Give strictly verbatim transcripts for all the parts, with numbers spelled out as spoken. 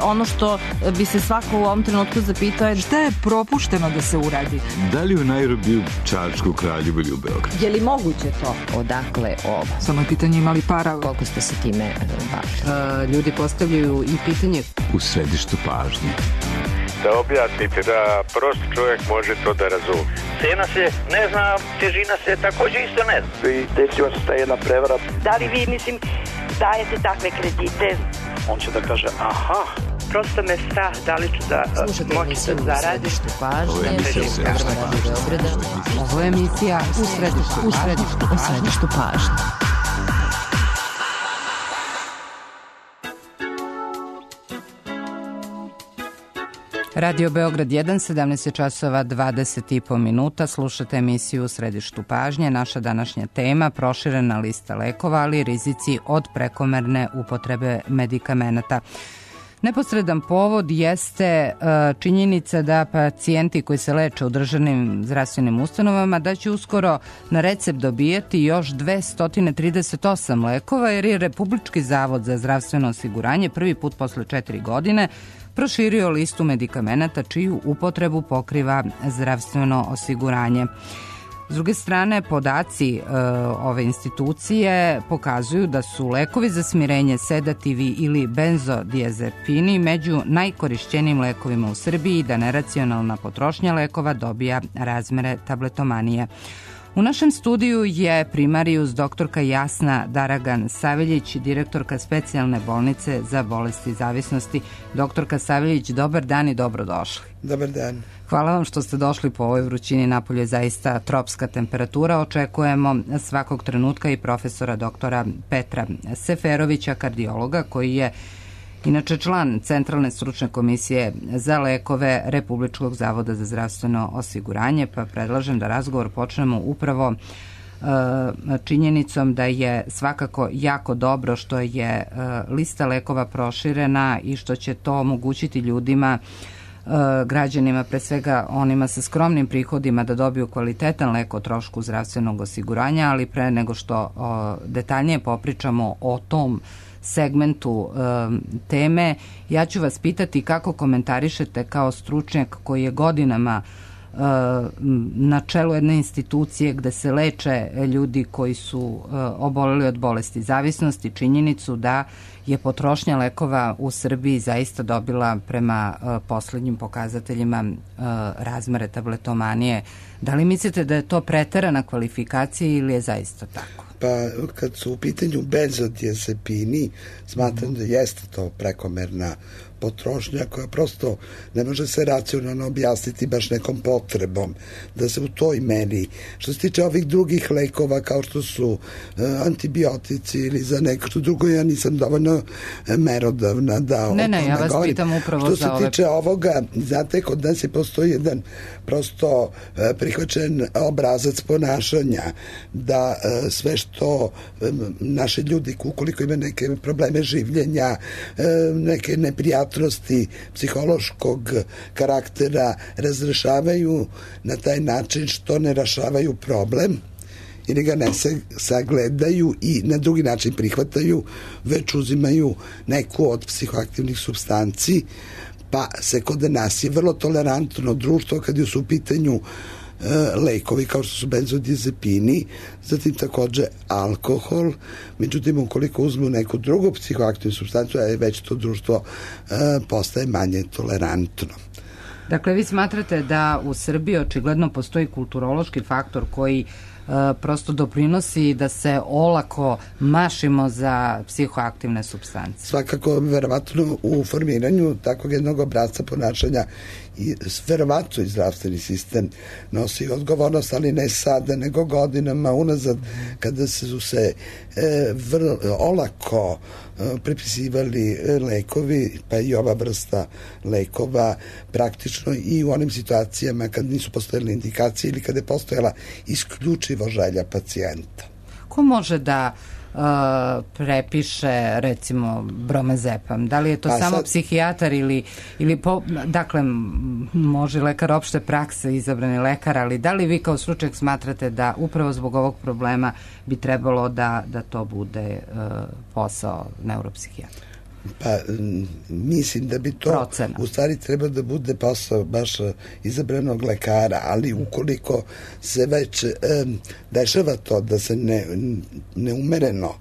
ono što bi se svako u ovom trenutku zapitao je šta je propušteno da se uradi. Da li u Nairobiju, Čačku, Kraljevu ili u Beogradu? Je li moguće to? Odakle ovo? Samo je pitanje imali para. Koliko ste se time bavili? Ljudi postavljaju i pitanje u središtu pažnje. Da objasnite da prost čovjek može to da razumije. Cena se ne zna, težina se također isto ne zna. I desila se ta jedna prevara. Da li vi, mislim, dajete takve kredite? On će da kaže, aha. Prosto me strah da li ću da moći da zaradim. Ovo je emisija u središtu pažnje. Ovo je emisija u središtu, u središtu, u središtu pažnje. Radio Beograd jedan, sedamnaest časova dvadeset i po minuta. Slušate emisiju u središtu pažnje. Naša današnja tema, proširena lista lekova, ali rizici od prekomerne upotrebe medikamenata. Neposredan povod jeste činjenica da pacijenti koji se leče u državnim zdravstvenim ustanovama da će uskoro na recept dobijati još dvesta trideset osam lekova, jer je Republički zavod za zdravstveno osiguranje prvi put posle četiri godine proširio listu medikamenata čiju upotrebu pokriva zdravstveno osiguranje. S druge strane, podaci e, ove institucije pokazuju da su lekovi za smirenje, sedativi ili benzodiazepini među najkorišćenijim lekovima u Srbiji i da neracionalna potrošnja lekova dobija razmere tabletomanije. U našem studiju je primarijus doktorka Jasna Daragan Saveljić, direktorka specijalne bolnice za bolesti zavisnosti. Doktorka Saveljić, dobar dan i dobrodošli. Dobar dan. Hvala vam što ste došli po ovoj vrućini. Napolju je zaista tropska temperatura. Očekujemo svakog trenutka i profesora doktora Petra Seferovića, kardiologa, koji je inače član Centralne stručne komisije za lekove Republičkog zavoda za zdravstveno osiguranje, pa predlažem da razgovor počnemo upravo uh, činjenicom da je svakako jako dobro što je uh, lista lekova proširena i što će to omogućiti ljudima, uh, građanima, pre svega onima sa skromnim prihodima, da dobiju kvalitetan lek o trošku zdravstvenog osiguranja, ali pre nego što uh, detaljnije popričamo o tom segmentu e, teme, ja ću vas pitati kako komentarišete kao stručnjak koji je godinama e, na čelu jedne institucije gde se leče ljudi koji su e, oboleli od bolesti zavisnosti, činjenicu da je potrošnja lekova u Srbiji zaista dobila prema e, poslednjim pokazateljima e, razmere tabletomanije. Da li mislite da je to preterana kvalifikacija ili je zaista tako? Pa kad su u pitanju benzodiazepini, smatram da jeste to prekomerna potrošnja koja prosto ne može se racionalno objasniti baš nekom potrebom da se u toj meri. Što se tiče ovih drugih lekova kao što su uh, antibiotici ili za neko što drugo, ja nisam dovoljno merodavna da ne, ne, ja vas govorim. Pitam upravo što za ove... se tiče ovoga, znate, kod nas je postoji jedan prosto uh, prihvaćen obrazac ponašanja da uh, sve što um, naši ljudi, ukoliko imaju neke probleme življenja, uh, neke neprijatnosti psihološkog karaktera, razrešavaju na taj način što ne rešavaju problem ili ga ne sagledaju i na drugi način prihvataju, već uzimaju neku od psihoaktivnih supstanci, pa se kod nas je vrlo tolerantno društvo kad su u pitanju lekovi kao što su benzodiazepini, zatim takođe alkohol. Međutim, ukoliko uzmu neku drugu psihoaktivnu supstancu, već to društvo postaje manje tolerantno. Dakle, vi smatrate da u Srbiji očigledno postoji kulturološki faktor koji prosto doprinosi da se olako mašimo za psihoaktivne supstance. Svakako, verovatno u formiranju takvog jednog obrazca ponašanja i verovatno i zdravstveni sistem nosi odgovornost, ali ne sada, nego godinama unazad, kada su se e, vrlo olako e, prepisivali lekovi, pa i ova vrsta lekova, praktično i u onim situacijama kad nisu postojale indikacije ili kada je postojala isključivo želja pacijenta. Ko može da Uh, prepiše recimo bromazepam? Da li je to pa samo sad... psihijatar ili, ili po, dakle može lekar opšte prakse, izabrani lekar, ali da li vi kao stručnjak smatrate da upravo zbog ovog problema bi trebalo da, da to bude uh, posao neuropsihijatra? Pa mislim da bi to procena. U stvari treba da bude posao baš izabranog lekara, ali ukoliko se već e, dešava to da se ne, neumereno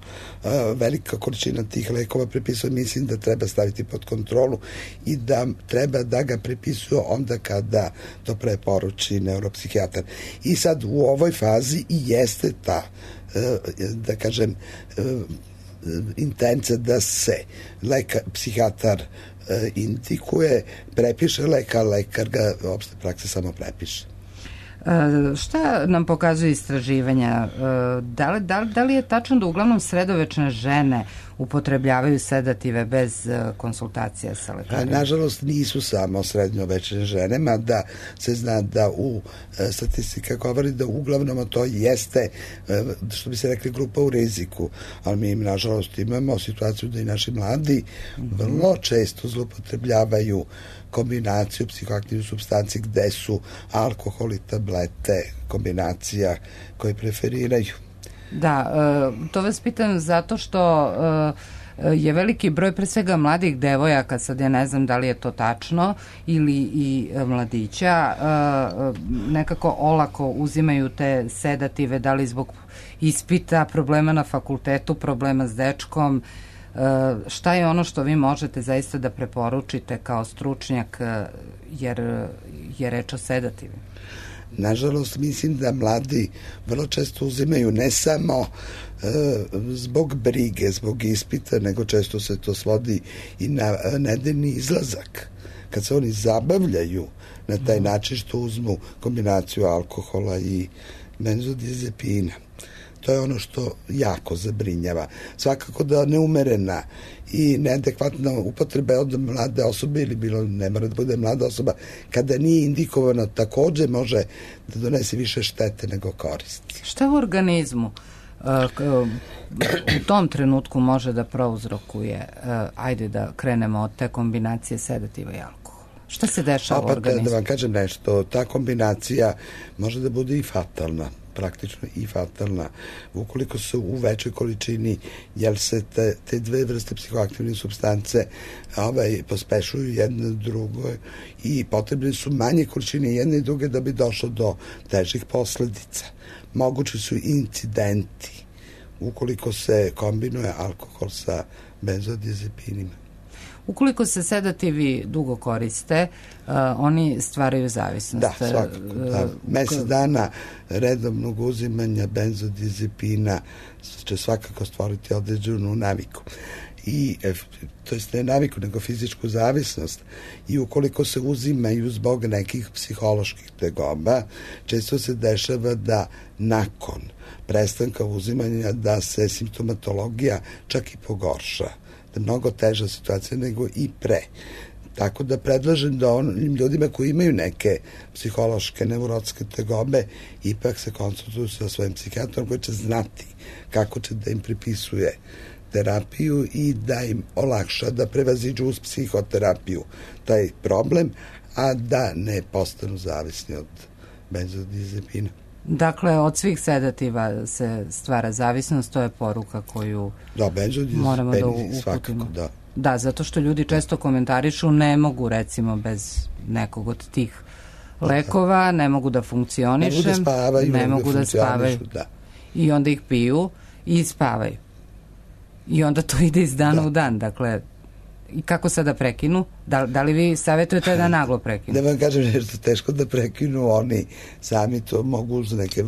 e, velika količina tih lekova prepisuje, mislim da treba staviti pod kontrolu i da treba da ga prepisuju onda kada to preporuči neuropsihijatar. I sad u ovoj fazi i jeste ta e, da kažem e, intenca da se lekar, psihijatar e, indikuje, prepiše lek, a lekar ga opšte prakse samo prepiše. E, šta nam pokazuju istraživanja? E, da, li, da, da li je tačno da uglavnom sredovečne žene upotrebljavaju sedative bez e, konsultacija sa lekarima? Nažalost nisu samo srednjovečne žene, mada se zna da u e, statistika govori da uglavnom to jeste, e, što bi se rekli, grupa u riziku, ali mi nažalost imamo situaciju da i naši mladi mm-hmm. vrlo često zloupotrebljavaju kombinaciju psihoaktivnih supstanci gde su alkohol i tablete kombinacija koje preferiraju. Da, to vas pitam zato što je veliki broj pre svega mladih devojaka, sad ja ne znam da li je to tačno, ili i mladića, nekako olako uzimaju te sedative, da li zbog ispita, problema na fakultetu, problema s dečkom. Šta je ono što vi možete zaista da preporučite kao stručnjak, jer je reč o sedativi? Nažalost, mislim da mladi vrlo često uzimaju ne samo e, zbog brige, zbog ispita, nego često se to svodi i na nedeljni izlazak. Kad se oni zabavljaju na taj način što uzmu kombinaciju alkohola i benzodiazepina. To je ono što jako zabrinjava. Svakako da neumerena i neadekvatna upotreba od mlade osobe, ili bilo ne mora da bude mlada osoba, kada nije indikovano, takođe može da donese više štete nego koristi. Šta u organizmu u tom trenutku može da prouzrokuje, ajde da krenemo od te kombinacije sedativa i alkohola? Šta se dešava u organizmu? Da vam kažem nešto, ta kombinacija može da bude i fatalna, praktično i fatalna, ukoliko su u većoj količini, jer se te, te dve vrste psihoaktivne supstance ovaj, pospešuju jedne drugo i potrebne su manje količine jedne i druge da bi došlo do težih posledica. Mogući su incidenti ukoliko se kombinuje alkohol sa benzodiazepinima. Ukoliko se sedativi dugo koriste, uh, oni stvaraju zavisnost. Da, svakako. Da. Mesec dana redovnog uzimanja benzodiazepina će svakako stvoriti određenu naviku. I, to jest ne naviku, nego fizičku zavisnost. I ukoliko se uzimaju zbog nekih psiholoških tegoba, često se dešava da nakon prestanka uzimanja da se simptomatologija čak i pogorša. Da je mnogo teža situacija nego i pre. Tako da predlažem da onim ljudima koji imaju neke psihološke, neurotske tegobe ipak se konsultuju sa svojim psihijatrom koji će znati kako će da im pripisuje terapiju i da im olakša da prevaziđu uz psihoterapiju taj problem, a da ne postanu zavisni od benzodiazepina. Dakle, od svih sedativa se stvara zavisnost, to je poruka koju da, moramo da uputimo. Svakako, da. Da, zato što ljudi često komentarišu ne mogu recimo bez nekog od tih lekova, ne mogu da funkcionišem, ne mogu da spavaju, ne mogu da spavaju. Da. I onda ih piju i spavaju. I onda to ide iz dana da. u dan, dakle, i kako sada prekinu? Da, da li vi savjetujete da naglo prekinu? Da vam kažem nešto teško da prekinu, oni sami to mogu uz neke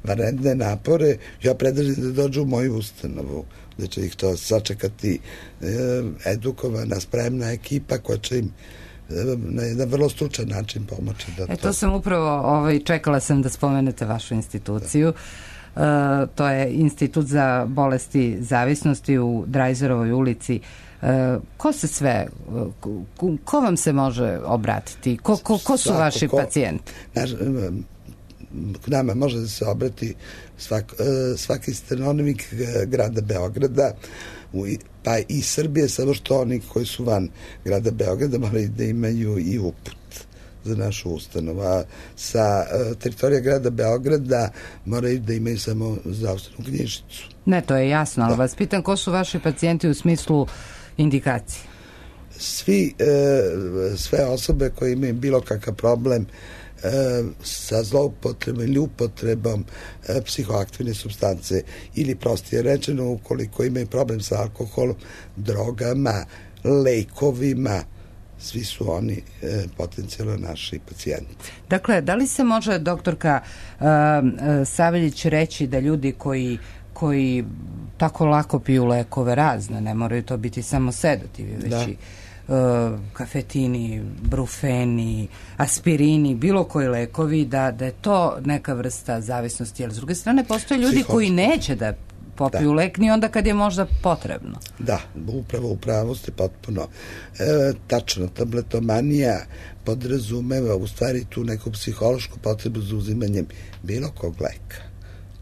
vanredne napore. Ja predlažem da dođu u moju ustanovu, da će ih to sačekati eh, edukovana, spremna ekipa koja će im eh, na jedan vrlo stručan način pomoći. Da e, to... to sam upravo, ovaj, čekala sam da spomenete vašu instituciju. Uh, to je Institut za bolesti zavisnosti u Drajzerovoj ulici. Uh, ko se sve, ko, ko vam se može obratiti? Ko, ko, ko su Svako, vaši ko, pacijenti? Naš, k nama može da se obrati svak, svaki stanovnik grada Beograda, pa i Srbije, samo što oni koji su van grada Beograda moraju da imaju i uput za našu ustanovu. A sa uh, teritorija grada Beograda moraju da imaju samo zdravstvenu knjižicu. Ne, to je jasno, ali da. vas pitam ko su vaši pacijenti u smislu indikacije? Svi, sve osobe koje imaju bilo kakav problem sa zloupotrebom ili upotrebom psihoaktivne supstance ili prostije rečeno ukoliko imaju problem sa alkoholom, drogama, lekovima, svi su oni e, potencijalno naši pacijenti. Dakle, da li se može, doktorka uh, Saveljić, reći da ljudi koji koji tako lako piju lekove razne, ne moraju to biti samo sedativi, već da. i uh, kafetini, brufeni, aspirini, bilo koji lekovi, da, da je to neka vrsta zavisnosti, jer s druge strane postoje ljudi Psihočki. koji neće da popiju da. lek ni onda kad je možda potrebno. Da, upravo u pravu ste potpuno. E, tačno, tabletomanija podrazumeva u stvari tu neku psihološku potrebu za uzimanjem bilo kog leka.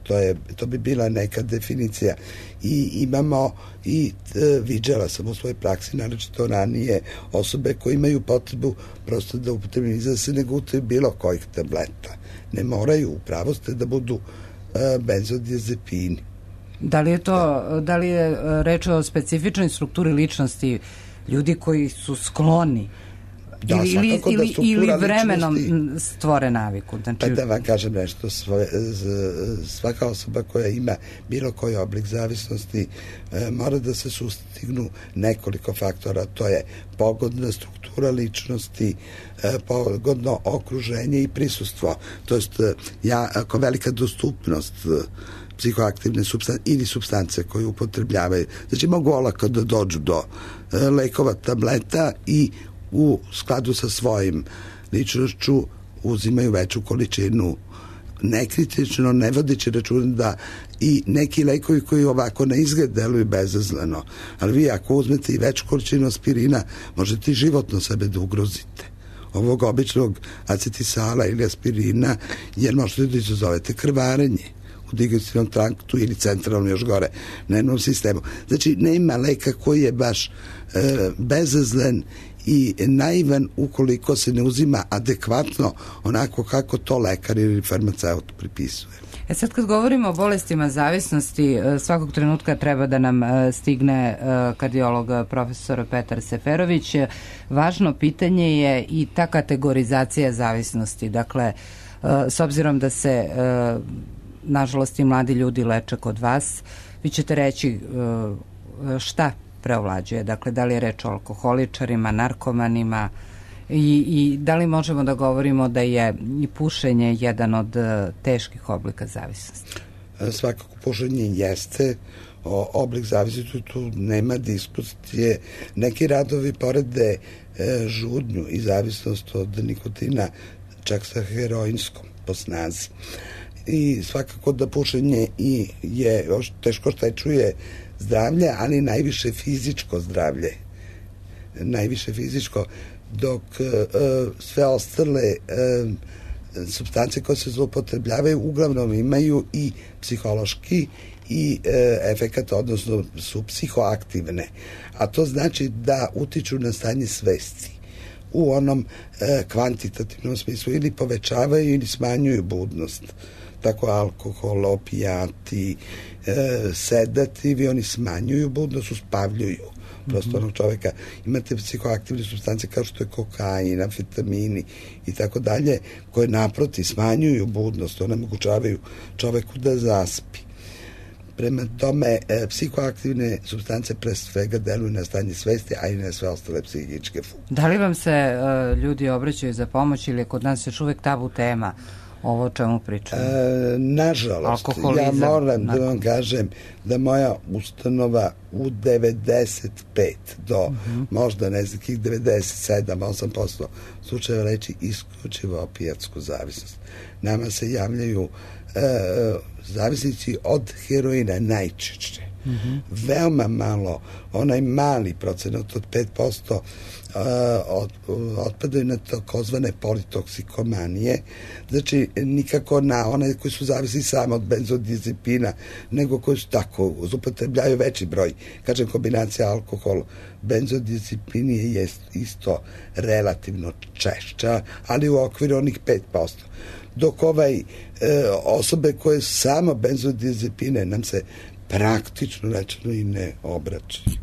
To, je, to bi bila neka definicija. I imamo i e, viđala sam u svojoj praksi, naročito ranije, osobe koje imaju potrebu prosto da upotrebljeni da se ne gutaju bilo kojih tableta. Ne moraju, upravo ste da budu e, benzodiazepini. Da li je to, da li je reč o specifičnoj strukturi ličnosti ljudi koji su skloni da, ili, ili, ili, ili vremenom stvore naviku? Znači... Pa da vam kažem nešto, svaka osoba koja ima bilo koji oblik zavisnosti mora da se sustignu nekoliko faktora, to je pogodna struktura ličnosti, pogodno okruženje i prisustvo, to jest ja, ako velika dostupnost psihoaktivne supstance ili supstance koje upotrebljavaju. Znači mogu olako da dođu do e, lekova, tableta i u skladu sa svojim ličnošću uzimaju veću količinu, nekritično, ne vodeći računa da i neki lekovi koji ovako na izgled deluju bezazleno, ali vi ako uzmete i veću količinu aspirina, možete i životno sebe da ugrozite. Ovog običnog acetisala ili aspirina, jer možete da izazovete krvarenje u digestivnom traktu ili centralno još gore nervnom sistemu. Znači, nema leka koji je baš e, bezazlen i naivan ukoliko se ne uzima adekvatno onako kako to lekar ili farmaceut pripisuje. E sad kad govorimo o bolestima zavisnosti, svakog trenutka treba da nam stigne kardiolog profesor Petar Seferović. Važno pitanje je i ta kategorizacija zavisnosti. Dakle, s obzirom da se nažalost i mladi ljudi leče kod vas, vi ćete reći šta preovlađuje, dakle da li je reč o alkoholičarima, narkomanima i, i da li možemo da govorimo da je i pušenje jedan od teških oblika zavisnosti? Svakako pušenje jeste oblik zavisnosti, tu nema diskusije. Neki radovi porede žudnju i zavisnost od nikotina čak sa heroinskom po snazi. I svakako da pušenje i je teško oštećuje zdravlje, ali najviše fizičko zdravlje. Najviše fizičko, dok uh, sve ostale uh, supstance koje se zloupotrebljavaju uglavnom imaju i psihološki i uh, efekat, odnosno su psihoaktivne. A to znači da utiču na stanje svesti u onom uh, kvantitativnom smislu, ili povećavaju ili smanjuju budnost. Tako alkohol, opijati, e, sedativi, oni smanjuju budnost, uspavljuju prosto onog čoveka. Imate psihoaktivne supstance kao što je kokain, amfetamini i tako dalje, koje naproti smanjuju budnost, onemogućavaju čoveku da zaspi. Prema tome, e, psihoaktivne supstance pre svega deluju na stanje svesti, a i na sve ostale psihičke funkcije. Da li vam se e, ljudi obraćaju za pomoć ili je kod nas još uvek tabu tema ovo o čemu pričamo? E, nažalost, ja moram da vam kažem da moja ustanova u devedeset pet do uh-huh. možda nekih devedeset sedam do osam posto slučajeva leči isključivo opijatsku zavisnost. Nama se javljaju e, zavisnici od heroina najčešće. Uh-huh. Veoma malo, onaj mali procenat od pet posto uh, od, otpadaju na takozvane politoksikomanije, znači nikako na one koji su zavisni samo od benzodiazepina, nego koji su tako, upotrebljavaju veći broj. Kažem, kombinacija alkohol, benzodiazepini je isto relativno češća, ali u okviru onih pet posto. Dok ovaj e, osobe koje su samo benzodiazepine nam se praktično rečeno i ne obraćaju.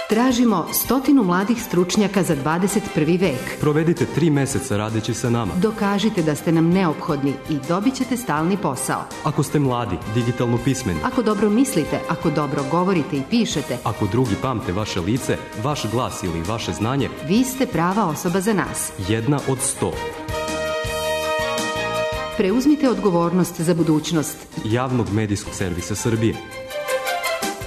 Tražimo stotinu mladih stručnjaka za dvadeset prvi vek. Provedite tri meseca radeći sa nama. Dokažite da ste nam neophodni i dobit ćete stalni posao. Ako ste mladi, digitalno pismeni. Ako dobro mislite, ako dobro govorite i pišete. Ako drugi pamte vaše lice, vaš glas ili vaše znanje. Vi ste prava osoba za nas. Jedna od sto. Preuzmite odgovornost za budućnost Javnog medijskog servisa Srbije.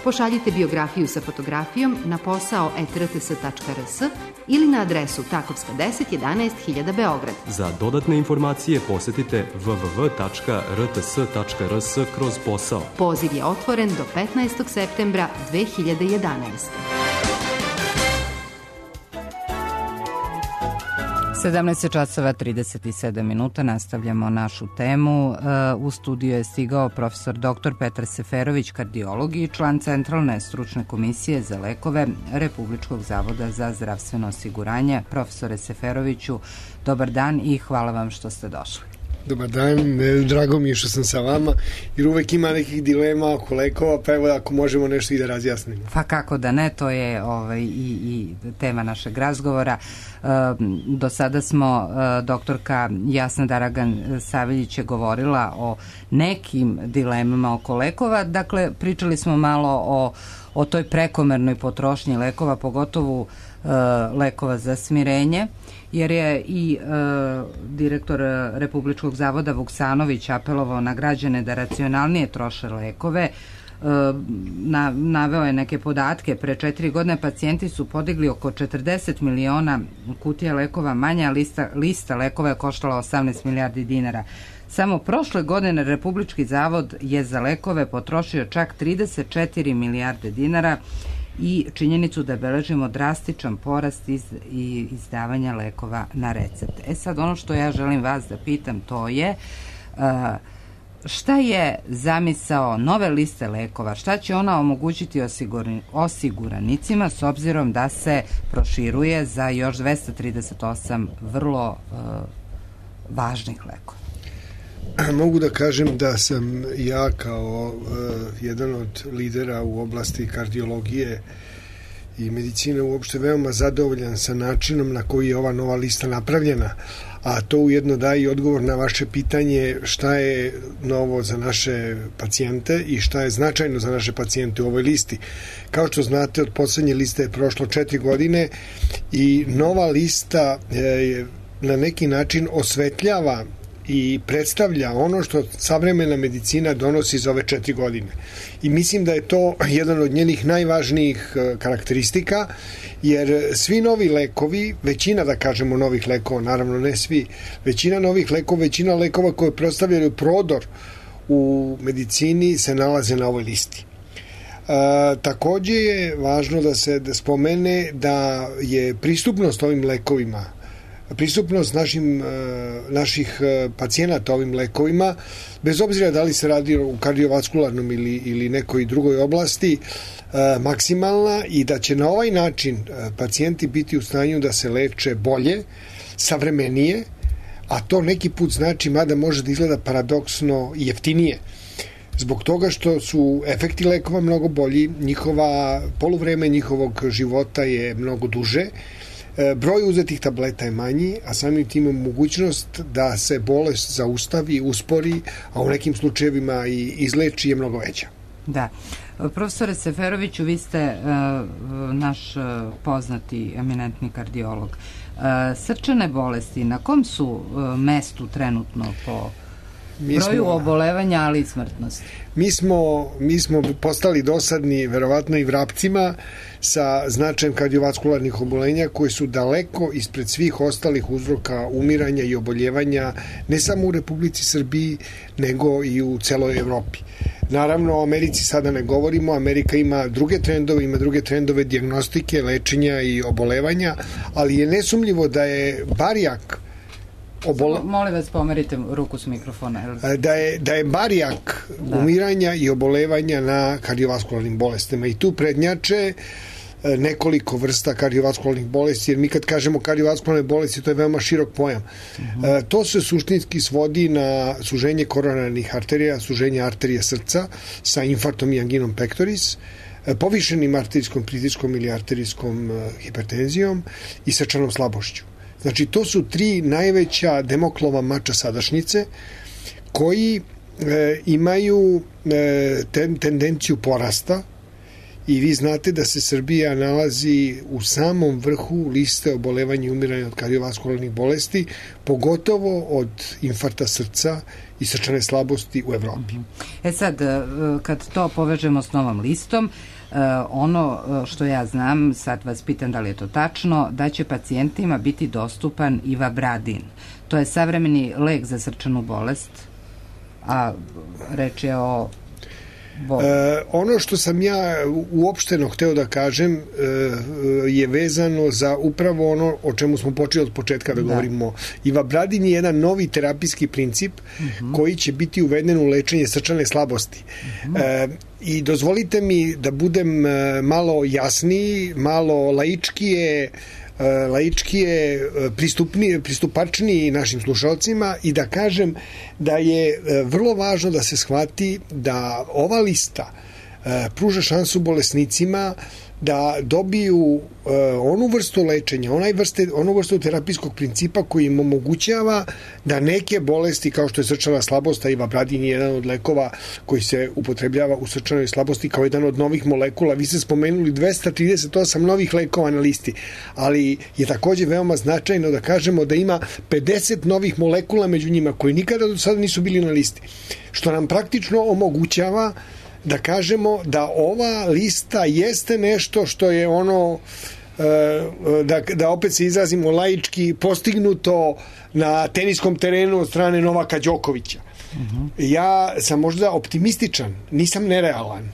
Pošaljite biografiju sa fotografijom na posao et er te es tačka er es ili na adresu Takovska deset jedanaest hiljada Beograd. Za dodatne informacije posetite w w w tačka r t s tačka r s kroz posao. Poziv je otvoren do petnaestog septembra dve hiljade jedanaeste. sedamnaest časova trideset sedam minuta, nastavljamo našu temu. U studiju je stigao profesor doktor Petar Seferović, kardiolog i član Centralne stručne komisije za lekove Republičkog zavoda za zdravstveno osiguranje. Profesore Seferoviću, dobar dan i hvala vam što ste došli. Dobar dan, drago mi je što sam sa vama, jer uvek ima nekih dilema oko lekova, pa evo ako možemo nešto i da razjasnimo. Pa kako da ne, to je ovaj, i, i tema našeg razgovora. E, do sada smo, e, doktorka Jasna Daragan-Saveljić je govorila o nekim dilemama oko lekova, dakle pričali smo malo o, o toj prekomernoj potrošnji lekova, pogotovo e, lekova za smirenje, jer je i e, direktor Republičkog zavoda Vuksanović apelovao na građane da racionalnije troše lekove. E, na, naveo je neke podatke. Pre četiri godine pacijenti su podigli oko četrdeset miliona kutija lekova manje, a lista, lista lekova je koštala osamnaest milijardi dinara. Samo prošle godine Republički zavod je za lekove potrošio čak trideset četiri milijarde dinara i činjenicu da beležimo drastičan porast iz, i izdavanja lekova na recept. E sad, ono što ja želim vas da pitam, to je uh, šta je zamisao nove liste lekova, šta će ona omogućiti osiguranicima s obzirom da se proširuje za još dvesta trideset osam vrlo uh, važnih lekova? Mogu da kažem da sam ja kao uh, jedan od lidera u oblasti kardiologije i medicine uopšte veoma zadovoljan sa načinom na koji je ova nova lista napravljena, a to ujedno daje i odgovor na vaše pitanje šta je novo za naše pacijente i šta je značajno za naše pacijente u ovoj listi. Kao što znate, od poslednje liste je prošlo četiri godine i nova lista je na neki način osvetljava i predstavlja ono što savremena medicina donosi za ove četiri godine. I mislim da je to jedan od njenih najvažnijih karakteristika, jer svi novi lekovi, većina da kažemo novih lekova, naravno ne svi, većina novih lekova, većina lekova koje predstavljaju prodor u medicini se nalaze na ovoj listi. E, takođe je važno da se da spomene da je pristupnost ovim lekovima, pristupnost našim, naših pacijenata ovim lekovima, bez obzira da li se radi u kardiovaskularnom ili, ili nekoj drugoj oblasti, maksimalna i da će na ovaj način pacijenti biti u stanju da se leče bolje, savremenije, a to neki put znači, mada može da izgleda paradoksno, jeftinije. Zbog toga što su efekti lekova mnogo bolji, njihova poluvreme njihovog života je mnogo duže, broj uzetih tableta je manji, a samim tim ima mogućnost da se bolest zaustavi, uspori, a u nekim slučajevima i izleči je mnogo veća. Da. Profesore Seferoviću, vi ste uh, naš uh, poznati eminentni kardiolog. Uh, srčane bolesti, na kom su uh, mestu trenutno po Mi broju smo, obolevanja, ali i smrtnosti? Mi smo, mi smo postali dosadni, verovatno i vrapcima, sa značajem kardiovaskularnih obolenja koji su daleko ispred svih ostalih uzroka umiranja i oboljevanja, ne samo u Republici Srbiji, nego i u celoj Evropi. Naravno, o Americi sada ne govorimo, Amerika ima druge trendove, ima druge trendove dijagnostike, lečenja i obolevanja, ali je nesumljivo da je barijak Obole... Molim vas, pomerite ruku s mikrofona. Da je, da je barijak da. umiranja i obolevanja na kardiovaskularnim bolestima i tu prednjače nekoliko vrsta kardiovaskularnih bolesti, jer mi kad kažemo kardiovaskularne bolesti, to je veoma širok pojam. Uh-huh. E, to se suštinski svodi na suženje koronarnih arterija, suženje arterije srca sa infarktom i anginom pectoris, povišenim arterijskom pritiskom ili arterijskom hipertenzijom i srčanom slabošću. Znači, to su tri najveća Demoklova mača sadašnjice koji e, imaju e, ten, tendenciju porasta i vi znate da se Srbija nalazi u samom vrhu liste obolevanja i umiranja od kardiovaskularnih bolesti, pogotovo od infarkta srca i srčane slabosti u Evropi. E sad, kad to povežemo s novom listom, ono što ja znam, sad vas pitam da li je to tačno, da će pacijentima biti dostupan ivabradin. To je savremeni lek za srčanu bolest, a reč je o E, ono što sam ja uopšteno hteo da kažem e, je vezano za upravo ono o čemu smo počeli od početka da, da. govorimo. Ivabradin je jedan novi terapijski princip uh-huh. koji će biti uveden u lečenje srčane slabosti. Uh-huh. E, I dozvolite mi da budem malo jasniji, malo laičkije laičkije, pristupni, pristupačniji našim slušalcima i da kažem da je vrlo važno da se shvati da ova lista pruža šansu bolesnicima da dobiju uh, onu vrstu lečenja, onaj vrste, onu vrstu terapijskog principa koji im omogućava da neke bolesti kao što je srčana slabost, a ivabradin je jedan od lekova koji se upotrebljava u srčanoj slabosti kao jedan od novih molekula. Vi ste spomenuli dvesta trideset osam novih lekova na listi, ali je takođe veoma značajno da kažemo da ima pedeset novih molekula među njima koji nikada do sada nisu bili na listi, što nam praktično omogućava da kažemo da ova lista jeste nešto što je ono, da, da opet se izrazimo laički, postignuto na teniskom terenu od strane Novaka Đokovića. Uh-huh. Ja sam možda optimističan, nisam nerealan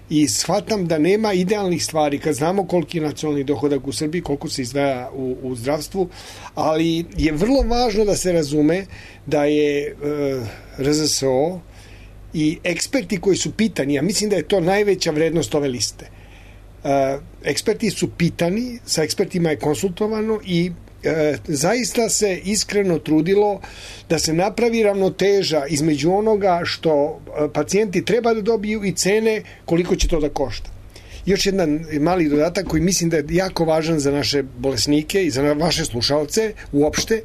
i shvatam da nema idealnih stvari kad znamo koliki je nacionalni dohodak u Srbiji, koliko se izdvaja u, u zdravstvu, ali je vrlo važno da se razume da je uh, R Z S O i eksperti koji su pitani, ja mislim da je to najveća vrednost ove liste. E, eksperti su pitani, sa ekspertima je konsultovano i e, zaista se iskreno trudilo da se napravi ravnoteža između onoga što pacijenti treba da dobiju i cene koliko će to da košta. Još jedan mali dodatak koji mislim da je jako važan za naše bolesnike i za vaše slušalce uopšte.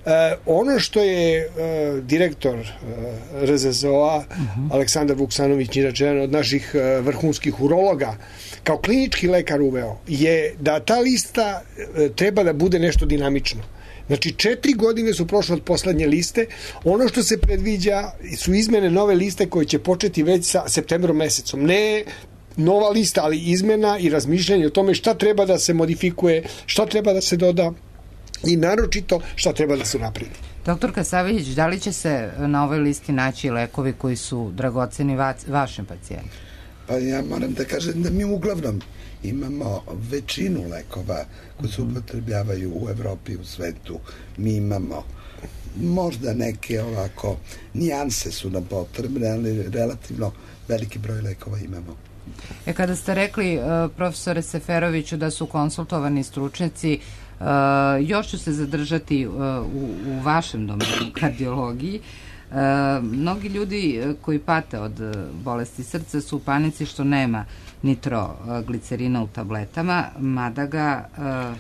Uh, ono što je uh, direktor uh, R Z S O-a uh-huh. Aleksandar Vuksanović, inače jedan od naših uh, vrhunskih urologa, kao klinički lekar uveo, je da ta lista uh, treba da bude nešto dinamično. Znači, četiri godine su prošle od poslednje liste. Ono što se predviđa su izmene nove liste koje će početi već sa septembrom mesecom. Ne nova lista, ali izmena i razmišljanje o tome šta treba da se modifikuje, šta treba da se doda i naročito šta treba da se napredi. Doktor Kasavljević, da li će se na ovoj listi naći lekovi koji su dragoceni va, vašem pacijentu? Pa ja moram da kažem da mi uglavnom imamo većinu lekova koji se upotrebljavaju u Evropi i u svetu. Mi imamo možda neke ovako nijanse su nam potrebne, ali relativno veliki broj lekova imamo. E, kada ste rekli, profesore Seferoviću, da su konsultovani stručnjaci, Uh, još ću se zadržati uh, u, u vašem domenu kardiologiji. Uh, mnogi ljudi koji pate od bolesti srca su u panici što nema nitroglicerina u tabletama, mada ga uh,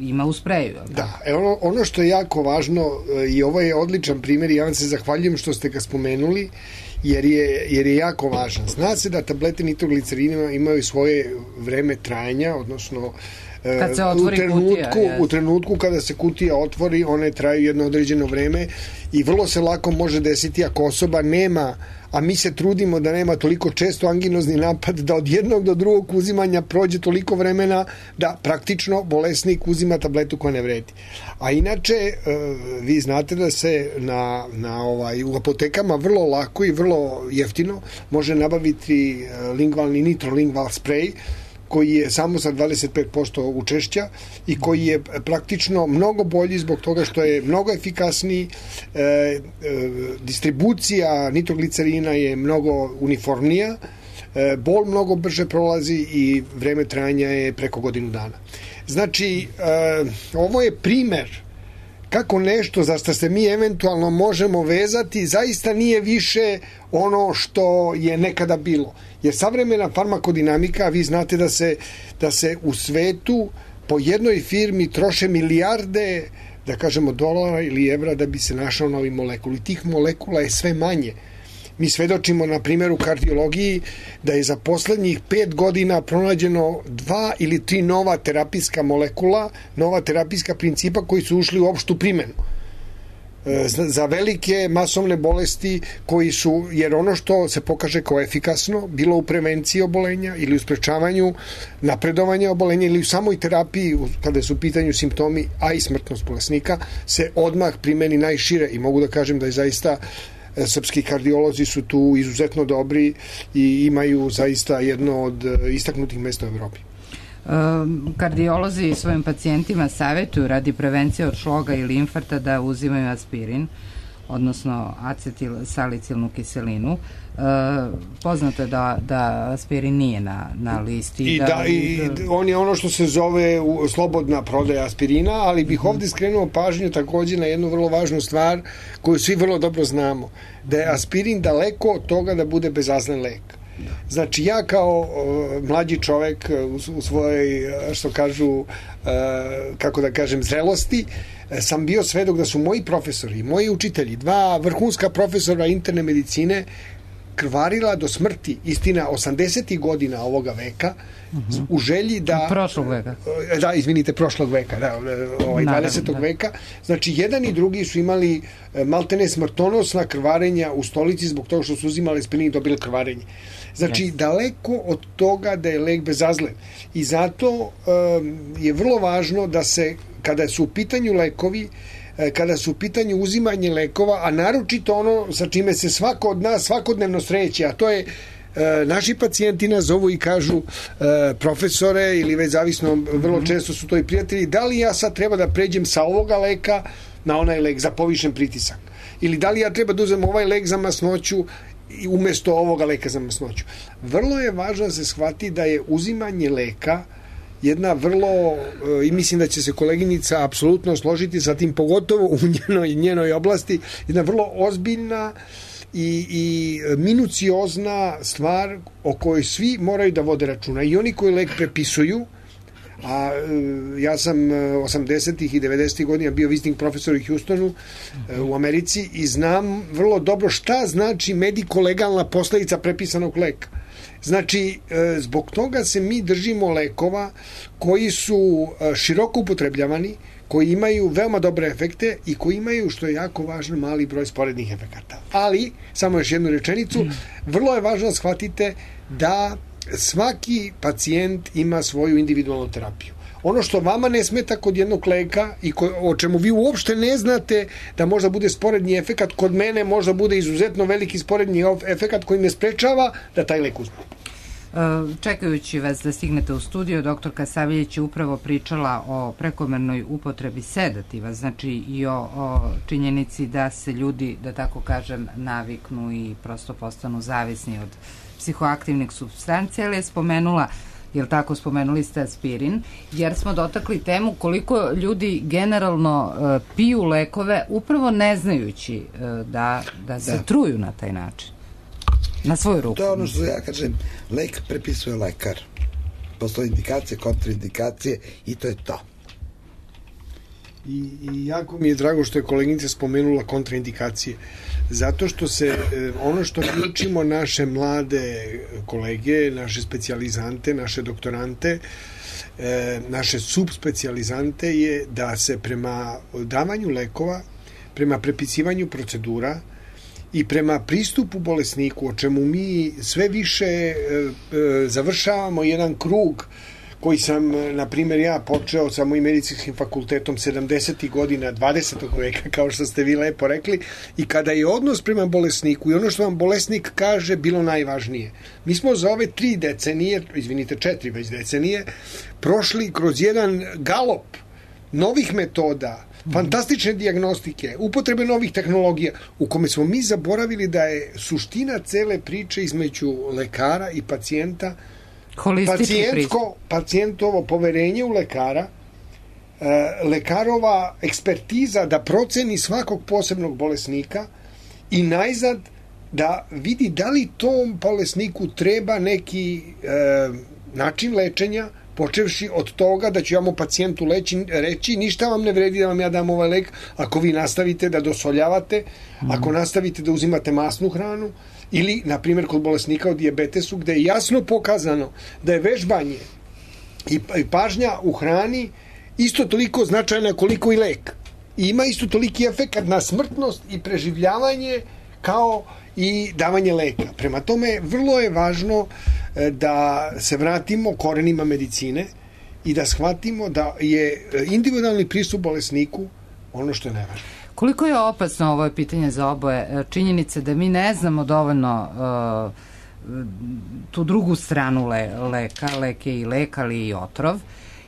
ima u spreju. Da, e ono, ono što je jako važno i ovo je odličan primjer i ja vam se zahvaljujem što ste ga spomenuli, jer je, jer je jako važan. Zna se da tablete nitroglicerina imaju svoje vreme trajanja, odnosno kad se otvori u trenutku, kutija, u trenutku kada se kutija otvori, one traju jedno određeno vreme i vrlo se lako može desiti ako osoba nema, a mi se trudimo da nema toliko često anginozni napad, da od jednog do drugog uzimanja prođe toliko vremena da praktično bolesnik uzima tabletu koja ne vredi. A inače, vi znate da se na, na ovaj, u apotekama vrlo lako i vrlo jeftino može nabaviti lingvalni nitrolingval sprej, koji je samo sa dvadeset pet posto učešća i koji je praktično mnogo bolji zbog toga što je mnogo efikasniji, e, e, distribucija nitroglicerina je mnogo uniformnija, e, bol mnogo brže prolazi i vreme trajanja je preko godinu dana. Znači, e, ovo je primer kako nešto za što se mi eventualno možemo vezati zaista nije više ono što je nekada bilo. Jer savremena farmakodinamika, vi znate da se, da se u svetu po jednoj firmi troše milijarde, da kažemo, dolara ili evra da bi se našao novi molekul. I tih molekula je sve manje. Mi svedočimo, na primjer, u kardiologiji da je za poslednjih pet godina pronađeno dva ili tri nova terapijska molekula, nova terapijska principa koji su ušli u opštu primjenu. Za velike masovne bolesti koji su, jer ono što se pokaže kao efikasno, bilo u prevenciji obolenja ili u sprečavanju napredovanja obolenja ili u samoj terapiji, kada su u pitanju simptomi, a i smrtnost bolesnika, se odmah primeni najšire i mogu da kažem da je zaista srpski kardiolozi su tu izuzetno dobri i imaju zaista jedno od istaknutih mesta u Evropi. Kardiolozi svojim pacijentima savjetuju radi prevencije od šloga ili infarkta da uzimaju aspirin, odnosno acetil salicilnu kiselinu. Poznato je da, da aspirin nije na, na listi. I, da, da, i on je ono što se zove slobodna prodaja aspirina, ali bih ovdje skrenuo pažnju također na jednu vrlo važnu stvar koju svi vrlo dobro znamo, da je aspirin daleko od toga da bude bezazlen lek. Znači ja kao uh, mlađi čovek u, u svojoj, što kažu, uh, kako da kažem, zrelosti, sam bio svedok da su moji profesori, moji učitelji, dva vrhunska profesora interne medicine krvarila do smrti, istina, osamdesetih godina ovoga veka, uh-huh. u želji da... Prošlog veka. Da, izvinite, prošlog veka, da, ovaj, dvadesetog veka. Znači, jedan i drugi su imali maltene smrtonosna krvarenja u stolici zbog toga što su uzimali aspirin i dobili krvarenje. Znači, yes. daleko od toga da je lek bezazlen. I zato um, je vrlo važno da se, kada su u pitanju lekovi, kada su u pitanju uzimanje lekova, a naročito ono sa čime se svako od nas svakodnevno sreće, a to je e, naši pacijenti nas zovu i kažu e, profesore ili već zavisno, vrlo često su to i prijatelji, da li ja sad treba da pređem sa ovoga leka na onaj lek za povišen pritisak? Ili da li ja treba da uzem ovaj lek za masnoću i umesto ovoga leka za masnoću? Vrlo je važno da se shvati da je uzimanje leka jedna vrlo, i mislim da će se koleginica apsolutno složiti sa tim, pogotovo u njenoj, njenoj oblasti, jedna vrlo ozbiljna i, i minuciozna stvar o kojoj svi moraju da vode računa. I oni koji lek prepisuju, a ja sam osamdesetih i devedesetih godina bio visiting profesor u Houstonu u Americi i znam vrlo dobro šta znači mediko-legalna posledica prepisanog leka. Znači, zbog toga se mi držimo lekova koji su široko upotrebljavani, koji imaju veoma dobre efekte i koji imaju, što je jako važno, mali broj sporednih efekata. Ali, samo još jednu rečenicu, vrlo je važno da shvatite da svaki pacijent ima svoju individualnu terapiju. Ono što vama ne smeta kod jednog leka i ko, o čemu vi uopšte ne znate da možda bude sporedni efekat, kod mene možda bude izuzetno veliki sporedni efekat koji me sprečava da taj lek uzmem. Čekajući vas da stignete u studio, doktorka Saviljić je upravo pričala o prekomernoj upotrebi sedativa, znači i o, o činjenici da se ljudi, da tako kažem, naviknu i prosto postanu zavisni od psihoaktivnih supstancija, ali je spomenula, jel tako, spomenuli ste aspirin, jer smo dotakli temu koliko ljudi generalno uh, piju lekove upravo ne znajući uh, da, da se da. truju na taj način. Na svoju ruku. To je ono što ja kažem, lek prepisuje lekar. Postoje indikacije, kontraindikacije i to je to. I, i jako mi je drago što je koleginica spomenula kontraindikacije. Zato što se ono što mi učimo naše mlade kolege, naše specijalizante, naše doktorante, naše subspecijalizante je da se prema davanju lekova, prema prepisivanju procedura i prema pristupu bolesniku, o čemu mi sve više e, e, završavamo jedan krug koji sam, na primjer, ja počeo sa mojim medicinskim fakultetom sedamdesetih godina dvadesetog veka, kao što ste vi lepo rekli, i kada je odnos prema bolesniku i ono što vam bolesnik kaže bilo najvažnije. Mi smo za ove tri decenije, izvinite, četiri već decenije, prošli kroz jedan galop novih metoda, fantastične dijagnostike, upotrebe novih tehnologija, u kome smo mi zaboravili da je suština cele priče između lekara i pacijenta pacijentsko, pacijentovo poverenje u lekara, lekarova ekspertiza da proceni svakog posebnog bolesnika i najzad da vidi da li tom bolesniku treba neki e, način lečenja, počevši od toga da ću ja mu pacijentu leći, reći ništa vam ne vredi da vam ja dam ovaj lek ako vi nastavite da dosoljavate, mm. ako nastavite da uzimate masnu hranu, ili, na primjer, kod bolesnika o dijabetesu, gde je jasno pokazano da je vežbanje i pažnja u hrani isto toliko značajna koliko i lek. I ima isto toliki efekat na smrtnost i preživljavanje kao i davanje leka. Prema tome, vrlo je važno da se vratimo korenima medicine i da shvatimo da je individualni pristup bolesniku ono što je najvažnije. Koliko je opasno, ovo je pitanje za oboje, činjenice da mi ne znamo dovoljno uh, tu drugu stranu le, leka, lek je i lek, ali i otrov,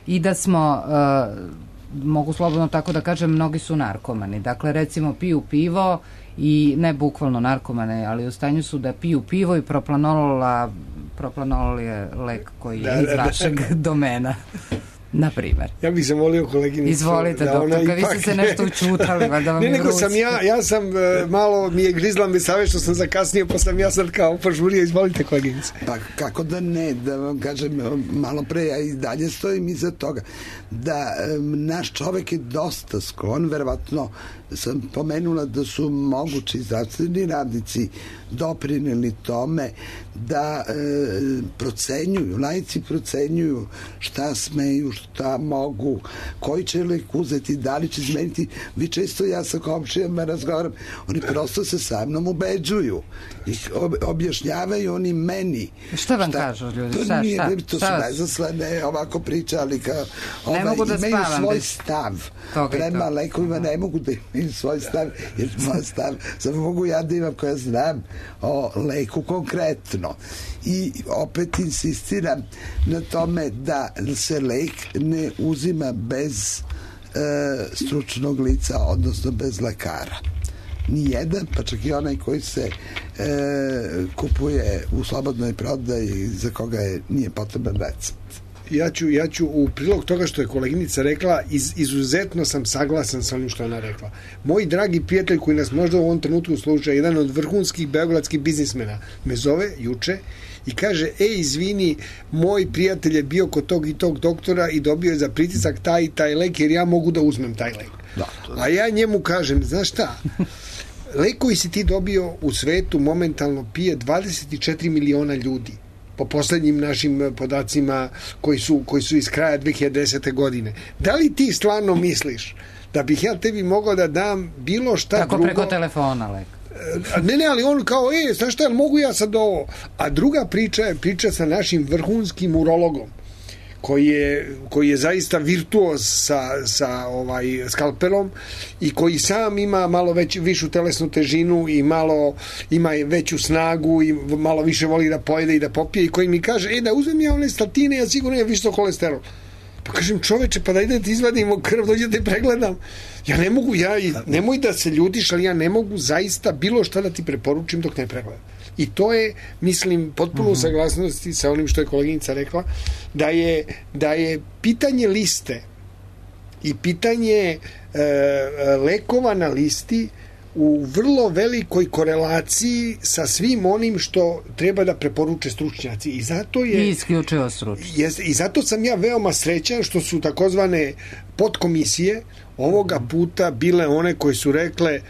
i da smo, uh, mogu slobodno tako da kažem, mnogi su narkomani. Dakle, recimo, piju pivo i ne bukvalno narkomane, ali u stanju su da piju pivo i proplanolol, a proplanolol je lek koji je da, iz vašeg da, da. domena. Na primer. Ja bih zamolio koleginicu. Izvolite, da doktorka, vi ste se nešto učutali, valjda vam ne, je nego vruć. sam ja, ja sam uh, malo, mi je grizla me save što sam zakasnio, pa sam ja sad kao požurio, izvolite koleginice. Pa kako da ne, da vam kažem, malo pre, ja i dalje stojim iza toga, da um, naš čovek je dosta sklon, verovatno sam pomenula da su mogući zdravstveni radnici doprineli tome da e, procenjuju, laici procenjuju šta smeju, šta mogu, koji će lek uzeti, da li će izmeniti. Vi često, ja sa komšijama razgovaram, oni prosto se sa mnom ubeđuju i objašnjavaju oni meni. Šta vam šta, kažu ljudi? To, šta, nije, šta, to šta su najzaslane ovako pričali kao, ovaj, ne mogu da imaju spavam svoj bez stav toga prema to. lekovima, ne mogu da imaju svoj stav, jer moj stav samo mogu ja da imam koja znam o leku konkretno. I opet insistiram na tome da se lek ne uzima bez e, stručnog lica, odnosno bez lekara. Nijedan, pa čak i onaj koji se e, kupuje u slobodnoj prodaji za koga je, nije potreban recept. Ja ću, ja ću u prilog toga što je koleginica rekla, iz, izuzetno sam saglasan sa onim što ona rekla. Moj dragi prijatelj koji nas možda u ovom trenutku sluša, jedan od vrhunskih beogradskih biznismena, me zove juče i kaže, ej, izvini, moj prijatelj je bio kod tog i tog doktora i dobio je za pritisak taj i taj lek, jer ja mogu da uzmem taj lek. Da, a ja njemu kažem, znaš šta, lek koji si ti dobio u svetu momentalno pije dvadeset četiri miliona ljudi, po poslednjim našim podacima koji su, koji su iz kraja dve hiljade desete. godine. Da li ti stvarno misliš da bih ja tebi mogao da dam bilo šta tako drugo? Tako preko telefona, lek. Ne, ne, ali on kao, e, znaš šta, mogu ja sad ovo? A druga priča je priča sa našim vrhunskim urologom, koji je, koji je zaista virtuoz sa, sa ovaj skalpelom i koji sam ima malo već, višu telesnu težinu i malo ima veću snagu i malo više voli da pojede i da popije, i koji mi kaže, e, da uzmem ja one statine, ja sigurno je visok holesterol. Pa kažem, čoveče, pa da idem ti izvadimo krv, dođe da te pregledam. Ja ne mogu, ja, nemoj da se ljutiš, ali ja ne mogu zaista bilo šta da ti preporučim dok ne pregledam. I to je, mislim, potpuno u saglasnosti sa onim što je koleginica rekla, da je, da je pitanje liste i pitanje e, lekova na listi u vrlo velikoj korelaciji sa svim onim što treba da preporuče stručnjaci. I zato je... I isključivo stručnjaci. Jest, i zato sam ja veoma srećan što su takozvane podkomisije ovoga puta bile one koje su rekle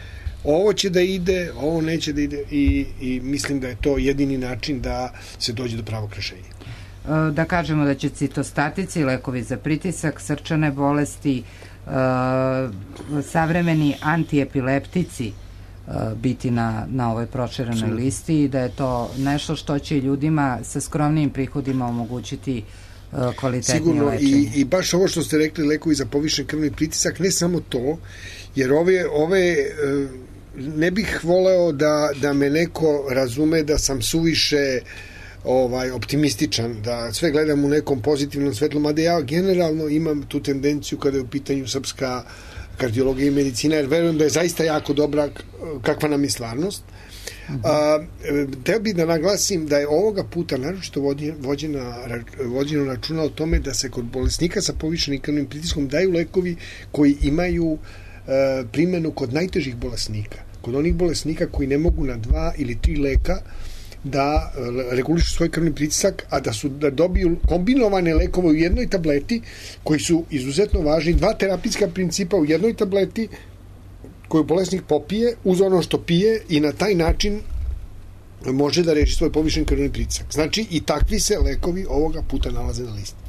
ovo će da ide, ovo neće da ide, i, i mislim da je to jedini način da se dođe do pravog rešenja. Da kažemo da će citostatici, lekovi za pritisak, srčane bolesti, savremeni antiepileptici biti na, na ovoj proširenoj listi i da je to nešto što će ljudima sa skromnijim prihodima omogućiti kvalitetnije sigurno lečenje. I, i baš ovo što ste rekli, lekovi za povišen krvni pritisak, ne samo to, jer ove, ove ne bih voleo da, da me neko razume da sam suviše ovaj optimističan, da sve gledam u nekom pozitivnom svetlu, mada ja generalno imam tu tendenciju kada je u pitanju srpska kardiologije i medicine, jer verujem da je zaista jako dobra kakva nam je stvarnost. A, teo bih da naglasim da je ovoga puta naročito vođena, vođeno računa o tome da se kod bolesnika sa povišenim krvnim pritiskom daju lekovi koji imaju e, primjenu kod najtežih bolesnika. Kod onih bolesnika koji ne mogu na dva ili tri leka da regulišu svoj krvni pritisak, a da su da dobiju kombinovane lekove u jednoj tableti koji su izuzetno važni, dva terapijska principa u jednoj tableti koju bolesnik popije uz ono što pije i na taj način može da reši svoj povišen krvni pritisak. Znači i takvi se lekovi ovoga puta nalaze na listi.